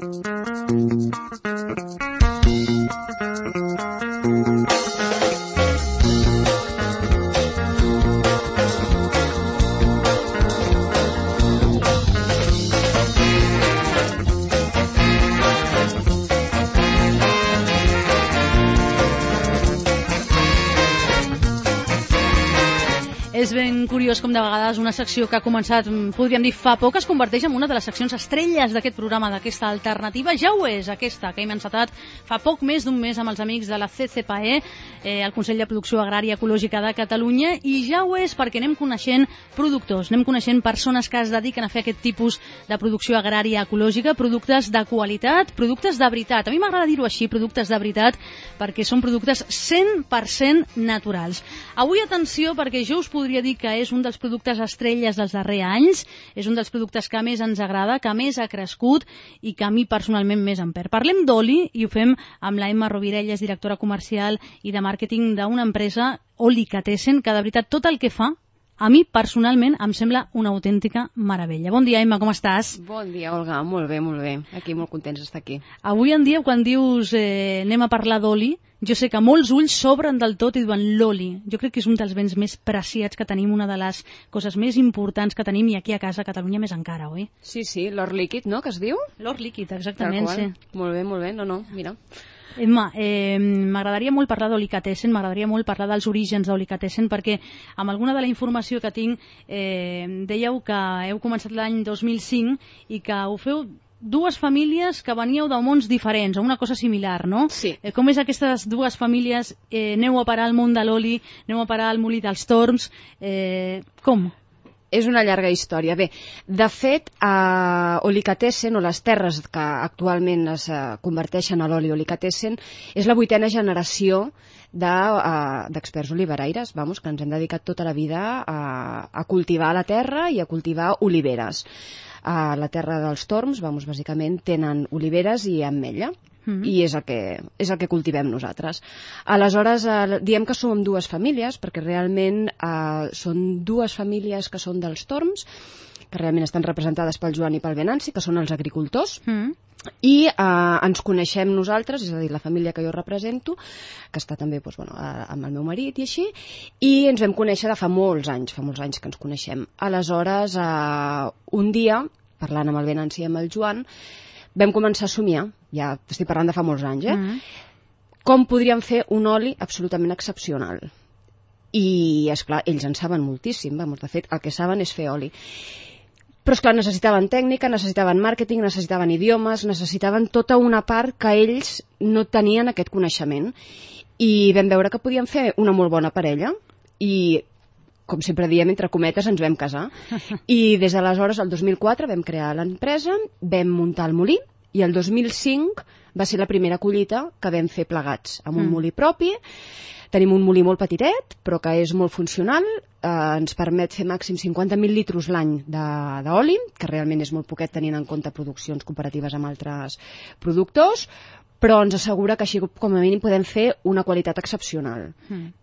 És ben curiós com de vegades una secció que ha començat, podríem dir, fa poc, es converteix en una de les seccions estrelles d'aquest programa, d'aquesta alternativa. Ja ho és, aquesta, que hem encetat fa poc més d'un mes amb els amics de la CCPAE, el Consell de Producció Agrària Ecològica de Catalunya, i ja ho és perquè anem coneixent productors, anem coneixent persones que es dediquen a fer aquest tipus de producció agrària ecològica, productes de qualitat, productes de veritat. A mi m'agrada dir-ho així, productes de veritat, perquè són productes 100% naturals. Avui, atenció, perquè jo us podria dir que és un dels productes estrelles dels darrers anys, és un dels productes que més ens agrada, que més ha crescut i que a mi personalment més em perd. Parlem d'oli i ho fem amb la Emma Rovirelles, directora comercial i de màrqueting d'una empresa, Olicatessen, que de veritat tot el que fa a mi, personalment, em sembla una autèntica meravella. Bon dia, Emma, com estàs? Bon dia, Olga. Molt bé, molt bé. Aquí molt contents d'estar aquí. Avui en dia, quan dius anem a parlar d'oli, jo sé que molts ulls s'obren del tot i diuen l'oli. Jo crec que és un dels béns més preciats que tenim, una de les coses més importants que tenim, i aquí a casa, a Catalunya, més encara, oi? Sí, l'or líquid, no?, que es diu? L'or líquid, exactament, sí. Molt bé, no, mira. Emma, m'agradaria molt parlar d'Olicatessen, m'agradaria molt parlar dels orígens d'Olicatessen, perquè amb alguna de la informació que tinc dèieu que heu començat l'any 2005 i que ho feu dues famílies que veníeu de mons diferents, o una cosa similar, no? Sí. Com és aquestes dues famílies? Aneu a parar al món de l'oli, aneu a parar al molí dels Torms, com? És una llarga història. Bé, de fet, Olicatessen, o les terres que actualment es converteixen a l'oli Olicatessen, és la 8a generació d'experts oliveraires, que ens hem dedicat tota la vida a cultivar la terra i a cultivar oliveres. A la terra dels Torms, bàsicament, tenen oliveres i ametlla. I és el que cultivem nosaltres. Aleshores, diem que som dues famílies, perquè realment són dues famílies que són dels Torms, que realment estan representades pel Joan i pel Venanci, que són els agricultors, i ens coneixem nosaltres, és a dir, la família que jo represento, que està també amb el meu marit i així, i ens vam conèixer de fa molts anys que ens coneixem. Aleshores, un dia, parlant amb el Venanci i amb el Joan, vam començar a somiar, ja estic parlant de fa molts anys, com podríem fer un oli absolutament excepcional. I, esclar, ells en saben moltíssim, de fet, el que saben és fer oli. Però, esclar, necessitaven tècnica, necessitaven màrqueting, necessitaven idiomes, necessitaven tota una part que ells no tenien aquest coneixement. I vam veure que podíem fer una molt bona parella i, com sempre diem, entre cometes, ens vam casar. I des d'aleshores, el 2004, vam crear l'empresa, vam muntar el molí, i el 2005 va ser la primera collita que vam fer plegats, amb un molí propi. Tenim un molí molt petitet, però que és molt funcional, ens permet fer màxim 50.000 litres l'any d'oli, que realment és molt poquet tenint en compte produccions comparatives amb altres productors, però ens assegura que així com a mínim podem fer una qualitat excepcional.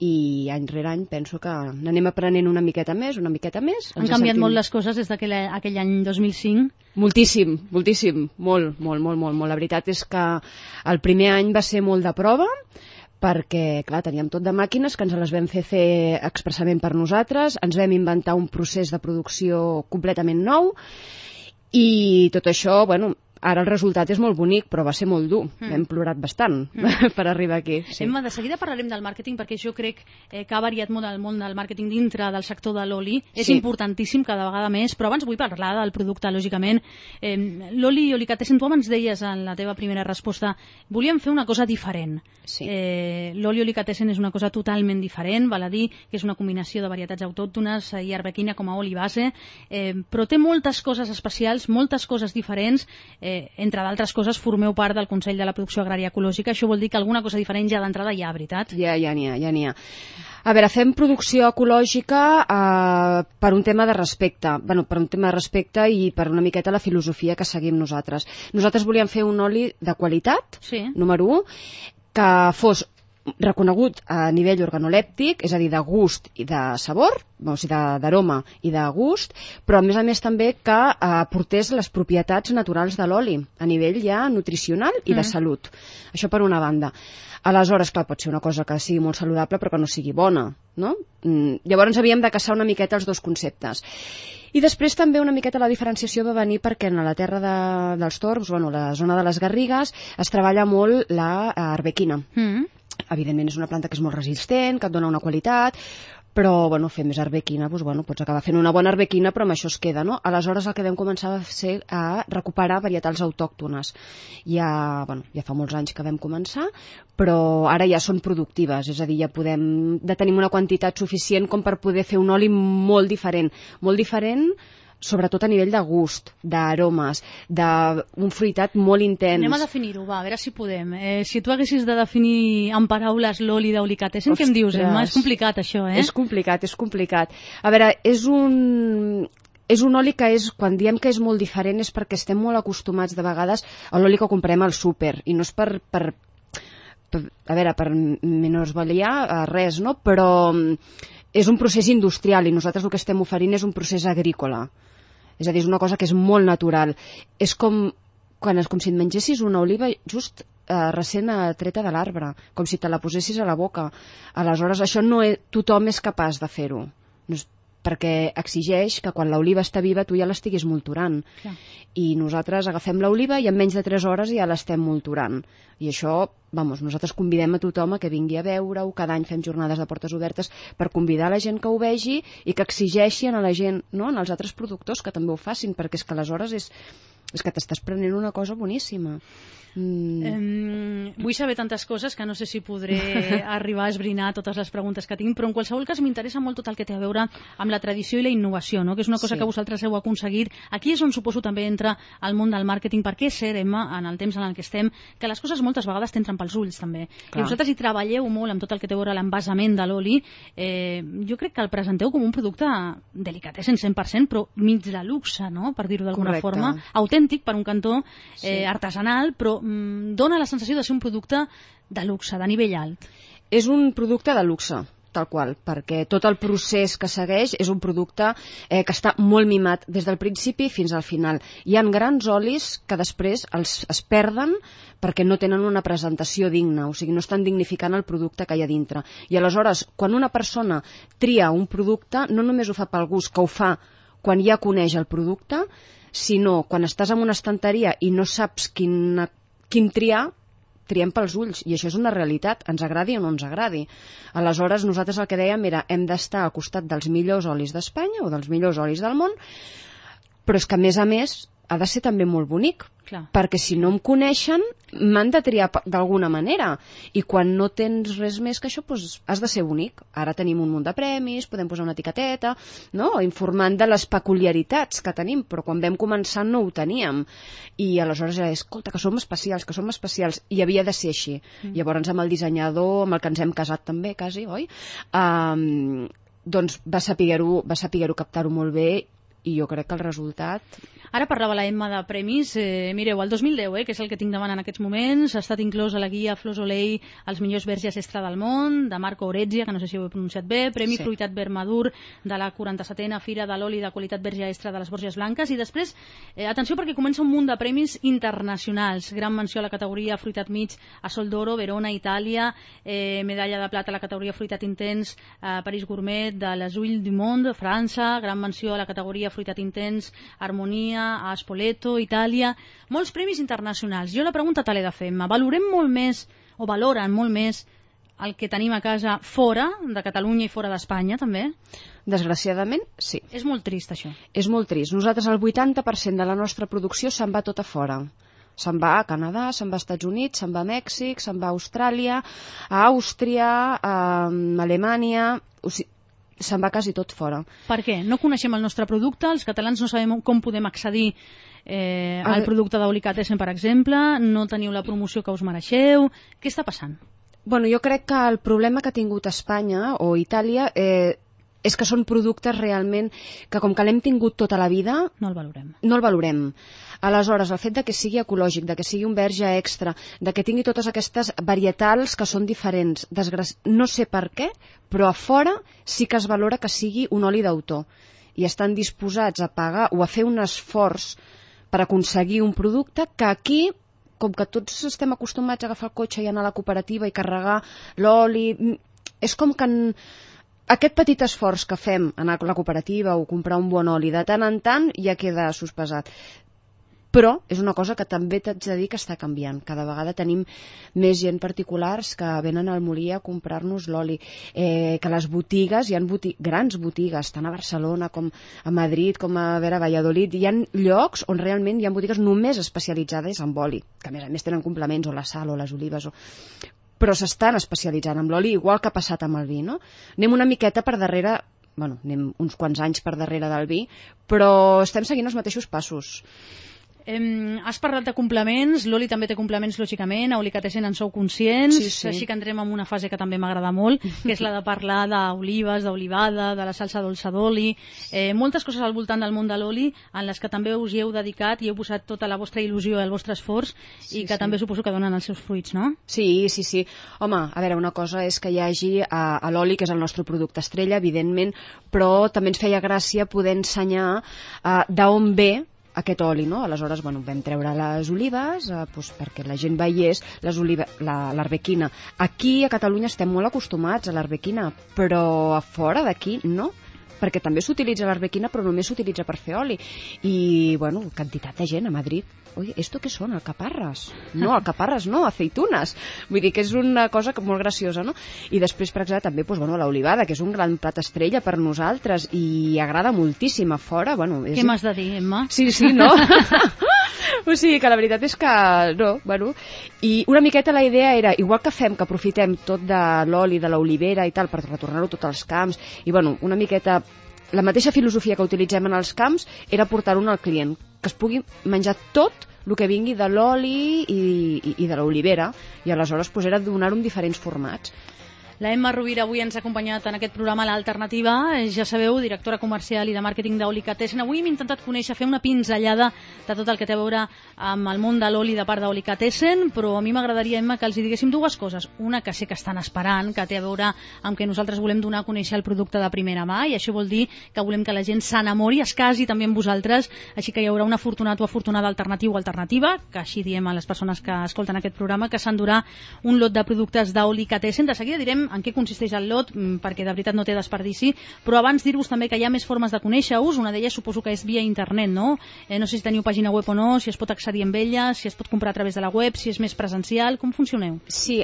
I any rere any penso que n'anem aprenent una miqueta més. Han canviat molt les coses des d'aquell any 2005? Moltíssim, molt. La veritat és que el primer any va ser molt de prova, perquè, clar, teníem tot de màquines que ens les vam fer expressament per nosaltres, ens vam inventar un procés de producció completament nou, i tot això, ara el resultat és molt bonic, però va ser molt dur. Hem plorat bastant per arribar aquí. Sí. Emma, de seguida parlarem del màrqueting, perquè jo crec que ha variat molt el món del màrqueting dintre del sector de l'oli. És importantíssim cada vegada més, però abans vull parlar del producte, lògicament. L'oli Olicatessen, tu abans deies en la teva primera resposta, volíem fer una cosa diferent. Sí. L'oli Olicatessen és una cosa totalment diferent, val a dir que és una combinació de varietats autòctones i arbequina com a oli base, però té moltes coses especials, moltes coses diferents. Entre d'altres coses, formeu part del Consell de la Producció Agrària Ecològica. Això vol dir que alguna cosa diferent ja d'entrada hi ha, veritat? Ja n'hi ha. A veure, fem producció ecològica per un tema de respecte. Per un tema de respecte i per una miqueta la filosofia que seguim nosaltres. Nosaltres volíem fer un oli de qualitat, número 1, que fos reconegut a nivell organolèptic, és a dir, de gust i de sabor, o sigui, d'aroma i de gust, però a més també que aportés les propietats naturals de l'oli, a nivell ja nutricional i de salut. Això per una banda. Aleshores, clar, pot ser una cosa que sigui molt saludable però que no sigui bona, no? Llavors havíem de caçar una miqueta els dos conceptes. I després també una miqueta la diferenciació va venir perquè en la terra dels Torms, la zona de les Garrigues, es treballa molt l'arbequina. Evidentment és una planta que és molt resistent, que et dona una qualitat, però fer més arbequina, pots acabar fent una bona arbequina, però amb això es queda, no? Aleshores el que vam començar va ser a recuperar varietals autòctones. Ja fa molts anys que vam començar, però ara ja són productives, és a dir, ja tenim una quantitat suficient com per poder fer un oli molt diferent sobretot a nivell de gust, d'aromes, d'un fruitat molt intens. Anem a definir-ho, a veure si podem. Si tu haguessis de definir en paraules l'oli d'Olicatessen, què em dius, Emma? És complicat, això, És complicat. A veure, és un oli que quan diem que és molt diferent és perquè estem molt acostumats de vegades a l'oli que comprem al súper, i no és per menosvaliar res, no? Però és un procés industrial i nosaltres el que estem oferint és un procés agrícola. És a dir, és una cosa que és molt natural. És com si et mengessis una oliva just recent treta de l'arbre, com si te la posessis a la boca. Aleshores, això tothom és capaç de fer-ho. No és perquè exigeix que quan l'oliva està viva tu ja l'estiguis molturant. Clar. I nosaltres agafem l'oliva i en menys de 3 hores ja l'estem molturant. I això, nosaltres convidem a tothom a que vingui a veure-ho, cada any fem jornades de portes obertes per convidar la gent que ho vegi i que exigeixin a la gent, no?, als altres productors que també ho facin, perquè és que aleshores és que t'estàs prenent una cosa boníssima. Vull saber tantes coses que no sé si podré arribar a esbrinar totes les preguntes que tinc, però en qualsevol cas m'interessa molt tot el que té a veure amb la tradició i la innovació, no? Que és una cosa que vosaltres heu aconseguit. Aquí és on suposo també entra el món del màrqueting, perquè és cert, Emma, en el temps en el que estem, que les coses moltes vegades t'entren pels ulls també. Clar. I vosaltres hi treballeu molt amb tot el que té a veure l'envasament de l'oli. Jo crec que el presenteu com un producte delicatessen 100%, però mig de luxe, no?, per dir-ho d'alguna forma, autèntic per un cantó, artesanal, però dona la sensació de ser un producte de luxe, de nivell alt. És un producte de luxe, tal qual, perquè tot el procés que segueix és un producte que està molt mimat des del principi fins al final. Hi ha grans olis que després es perden perquè no tenen una presentació digna, o sigui, no estan dignificant el producte que hi ha dintre. I aleshores, quan una persona tria un producte, no només ho fa pel gust, que ho fa quan ja coneix el producte, sinó quan estàs en una estanteria i no saps quin triar, triem pels ulls, i això és una realitat, ens agradi o no ens agradi. Aleshores, nosaltres el que dèiem era hem d'estar al costat dels millors olis d'Espanya o dels millors olis del món, però és que a més ha de ser també molt bonic. Clar. Perquè si no em coneixen m'han de triar d'alguna manera, i quan no tens res més que això, doncs has de ser bonic. Ara tenim un munt de premis, podem posar una etiqueteta, no?, informant de les peculiaritats que tenim, però quan vam començar no ho teníem, i aleshores era, escolta, que som especials, i havia de ser així. Llavors amb el dissenyador amb el que ens hem casat també, quasi, oi? Doncs va saber-ho captar-ho molt bé, i jo crec que el resultat... Ara parlava la Emma de premis. Mireu, el 2010, que és el que tinc davant en aquests moments, ha estat inclòs a la guia Flors Olei els millors verges extra del món, de Marco Orezia, que no sé si ho he pronunciat bé, Premi Fruitat Verd Madur de la 47a Fira de l'Oli de Qualitat Verge Extra de les Borges Blanques, i després, atenció perquè comença un munt de premis internacionals. Gran menció a la categoria Fruitat Mig a Sol d'Oro, Verona, Itàlia, medalla de plata a la categoria Fruitat Intens a París Gourmet de les Huiles du Monde, França, gran menció a la categoria Fruitat Intens, Harmonia, a Spoleto, Itàlia, molts premis internacionals. Jo la pregunta te l'he de fer, valorem molt més, o valoren molt més, el que tenim a casa fora de Catalunya i fora d'Espanya, també? Desgraciadament, sí. És molt trist, això. És molt trist. Nosaltres el 80% de la nostra producció se'n va tot a fora. Se'n va a Canadà, se'n va als Estats Units, se'n va a Mèxic, se'n va a Austràlia, a Àustria, a Alemanya... O sigui, se'n va quasi tot fora. Per què? No coneixem el nostre producte, els catalans no sabem com podem accedir al producte d'Olicatessen, per exemple, no teniu la promoció que us mereixeu. Què està passant? Bueno, jo crec que el problema que ha tingut Espanya o Itàlia és que són productes realment que, com que l'hem tingut tota la vida... No el valorem. No el valorem. Aleshores, el fet de que sigui ecològic, de que sigui un verge extra, de que tingui totes aquestes varietals que són diferents, no sé per què, però a fora sí que es valora que sigui un oli d'autor i estan disposats a pagar o a fer un esforç per aconseguir un producte que aquí, com que tots estem acostumats a agafar el cotxe i anar a la cooperativa i carregar l'oli, és com que aquest petit esforç que fem anar a la cooperativa o comprar un bon oli de tant en tant ja queda sospesat. Però és una cosa que també t'haig de dir que està canviant. Cada vegada tenim més gent particulars que venen al molí a comprar-nos l'oli. Que les botigues, hi ha grans botigues, tant a Barcelona com a Madrid, com a Valladolid, hi ha llocs on realment hi ha botigues només especialitzades en oli, que a més tenen complements, o la sal, o les olives, però s'estan especialitzant en l'oli, igual que ha passat amb el vi, no? Anem una miqueta per darrere, anem uns quants anys per darrere del vi, però estem seguint els mateixos passos. Has parlat de complements, l'oli també té complements, lògicament, a Olicatessen en sou conscients, sí. Així que entrem en una fase que també m'agrada molt, que és la de parlar d'olives, d'olivada, de la salsa dolça d'oli, moltes coses al voltant del món de l'oli, en les que també us hi heu dedicat i heu posat tota la vostra il·lusió i el vostre esforç, i que també suposo que donen els seus fruits, no? Sí. Home, a veure, una cosa és que hi hagi a l'oli, que és el nostre producte estrella, evidentment, però també ens feia gràcia poder ensenyar d'on ve aquest oli, no? Aleshores, vam treure les olives perquè la gent veiés l'arbequina. Aquí a Catalunya estem molt acostumats a l'arbequina, però a fora d'aquí no, perquè també s'utilitza l'arbequina, però només s'utilitza per fer oli. I, quantitat de gent a Madrid. Oye, ¿esto qué son? ¿Alcaparras? No, alcaparras no, aceitunes. Vull dir que és una cosa molt graciosa, no? I després, per exemple, també l'olivada, que és un gran plat estrella per nosaltres i agrada moltíssim a fora. Què m'has de dir, Emma? Sí, no? O sigui que la veritat és que no, I una miqueta la idea era, igual que fem, que aprofitem tot de l'oli, de l'olivera i tal, per retornar-ho tot als camps, i una miqueta la mateixa filosofia que utilitzem en els camps era portar-ho al client, que es pugui menjar tot el que vingui de l'oli i de l'olivera, i aleshores era donar-ho en diferents formats. La Emma Rovira avui ens ha acompanyat en aquest programa L'Alternativa, ja sabeu, directora comercial i de màrqueting d'Olicatessen. Avui hem intentat conèixer, fer una pinzellada de tot el que té a veure amb el món de l'oli de part d'Olicatessen, però a mi m'agradaria, Emma, que els diguéssim dues coses. Una que sé que estan esperant, que té a veure amb que nosaltres volem donar a conèixer el producte de primera mà, i això vol dir que volem que la gent s'enamori, es casi també amb vosaltres, així que hi haurà un afortunat o afortunada alternatiu o alternativa, que així diem a les persones que escolten aquest programa, que s'endurà un lot de productes d'Olicatessen. De seguida direm en què consisteix el lot, perquè de veritat no té desperdici, però abans dir-vos també que hi ha més formes de conèixer-us. Una d'elles suposo que és via internet, no? No sé si teniu pàgina web o no, si es pot accedir amb ella, si es pot comprar a través de la web, si és més presencial, com funcioneu? Sí,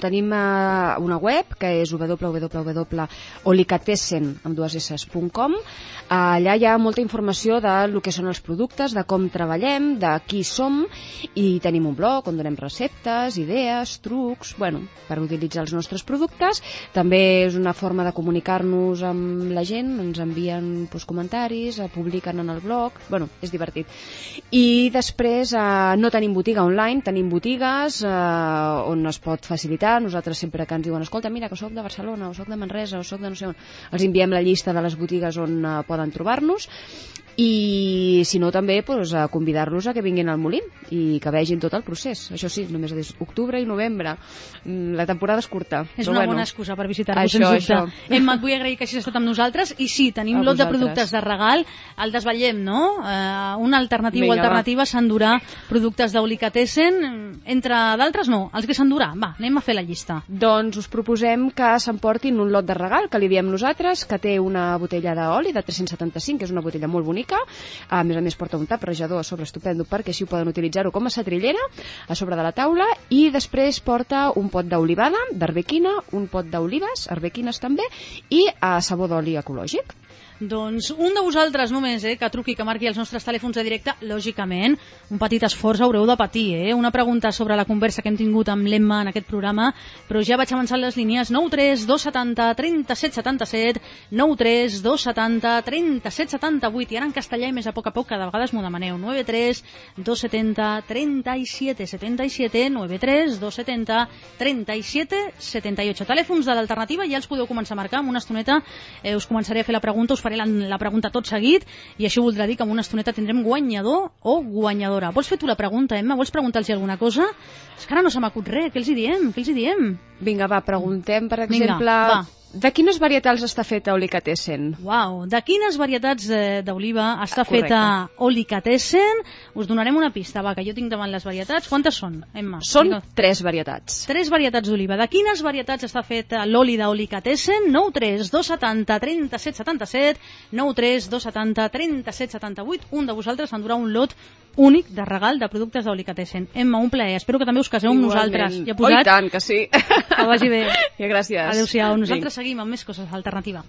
tenim una web que és www.olicatessen.com. Allà hi ha molta informació del que són els productes, de com treballem, de qui som, i tenim un blog on donem receptes, idees, trucs, per utilitzar els nostres productes. També és una forma de comunicar-nos amb la gent, ens envien comentaris, publiquen en el blog, és divertit. I després no tenim botiga online, tenim botigues on es pot facilitar. Nosaltres sempre que ens diuen, escolta, mira que soc de Barcelona, o soc de Manresa, o soc de no sé on, els enviem la llista de les botigues on poden trobar-nos, i si no també convidar-los a que vinguin al molí i que vegin tot el procés. Això sí, només és octubre i novembre, la temporada és curta. És una bona excusa per visitar-vos, sens dubte. Emma, et vull agrair que hagis estat amb nosaltres, i sí, tenim lot de productes de regal, el desvetllem, no? Una alternativa o alternativa s'endurà productes d'Olicatessen, entre d'altres no, els que s'endurà. Va, anem a fer la llista. Doncs us proposem que s'emportin un lot de regal, que li diem nosaltres, que té una botella d'oli de 375, que és una botella molt bonica. A més porta un tap rejador a sobre estupendo, perquè així poden utilitzar-ho com a setrillera a sobre de la taula, i després porta un pot d'olivada, d'arbequina, un pot d'olives, arbequines també, i sabó d'oli ecològic. Doncs un de vosaltres només, que truqui, que marqui els nostres telèfons de directe, lògicament, un petit esforç haureu de patir, Una pregunta sobre la conversa que hem tingut amb l'Emma en aquest programa, però ja vaig avançant les línies. 93 270 37 77, 93 270 37 78, i ara en castellà i més a poc, cada vegada m'ho demaneu. 93 270 37 77, 93 270 37 78. Telèfons de l'alternativa, ja els podeu començar a marcar. En una estoneta us començaré a fer la pregunta. Us faré faré la pregunta tot seguit i això voldrà dir que en una estoneta tindrem guanyador o guanyadora. Vols fer tu la pregunta, Emma? Vols preguntar-los alguna cosa? És que ara no se m'acut res. Què els hi diem? Vinga, va, preguntem, per exemple, de quines varietals està feta Olicatessen? Uau, de quines varietats d'oliva està feta Olicatessen? Us donarem una pista, va, que jo tinc davant les varietats. Quantes són, Emma? Són 3 varietats. 3 varietats d'oliva. De quines varietats està feta l'oli d'Olicatessen? 9 3 270 37 77, 9 3 270 37 78. Un de vosaltres endurà un lot únic de regal de productes d'Olicatessen. Emma, un plaer. Espero que també us caseu amb nosaltres. Ja posat... Oh, i tant, que sí. Que vagi bé. Ja, gràcies. Adéu-siau. Nosaltres seguim amb més coses alternativa.